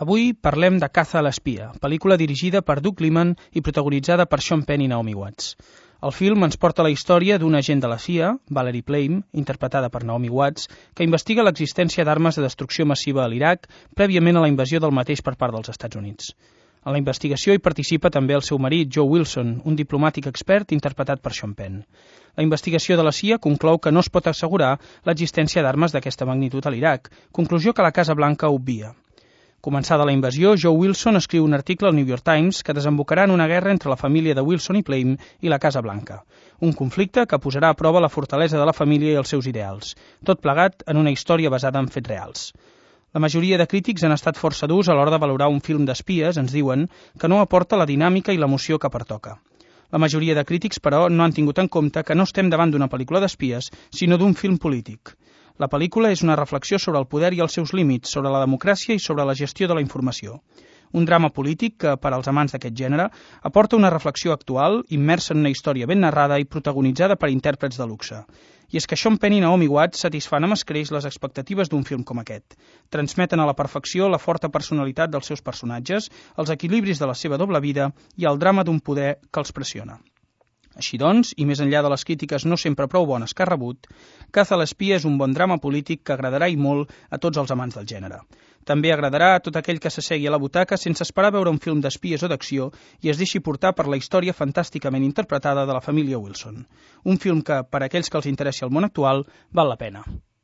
Avui parlem de Caza a l'espia, pel·lícula dirigida per Doug Liman i protagonitzada per Sean Penn i Naomi Watts. El film ens porta la història d'un agent de la CIA, Valerie Plame, interpretada per Naomi Watts, que investiga l'existència d'armes de destrucció massiva a l'Iraq prèviament a la invasió del mateix per part dels Estats Units. En la investigació hi participa també el seu marit, Joe Wilson, un diplomàtic expert interpretat per Sean Penn. La investigació de la CIA conclou que no es pot assegurar l'existència d'armes d'aquesta magnitud a l'Iraq, conclusió que la Casa Blanca obvia. Començada la invasió, Joe Wilson escriu un article al New York Times que desembocarà en una guerra entre la família de Wilson i Plame i la Casa Blanca. Un conflicte que posarà a prova la fortalesa de la família i els seus ideals, tot plegat en una història basada en fets reals. La majoria de crítics han estat força durs a l'hora de valorar un film d'espies, ens diuen, que no aporta la dinàmica i l'emoció que pertoca. La majoria de crítics, però, no han tingut en compte que no estem davant d'una pel·lícula d'espies, sinó d'un film polític. La pel·lícula és una reflexió sobre el poder i els seus límits, sobre la democràcia i sobre la gestió de la informació. Un drama polític que, per als amants d'aquest gènere, aporta una reflexió actual, immersa en una història ben narrada i protagonitzada per intèrprets de luxe. I és que Sean Penn i Naomi Watts satisfan amb escreix les expectatives d'un film com aquest. Transmeten a la perfecció la forta personalitat dels seus personatges, els equilibris de la seva doble vida i el drama d'un poder que els pressiona. Així doncs, i més enllà de les crítiques no sempre prou bones que ha rebut, Caza a l'espia és un bon drama polític que agradarà i molt a tots els amants del gènere. També agradarà a tot aquell que s'assegui a la butaca sense esperar veure un film d'espies o d'acció i es deixi portar per la història fantàsticament interpretada de la família Wilson. Un film que, per a aquells que els interessi el món actual, val la pena.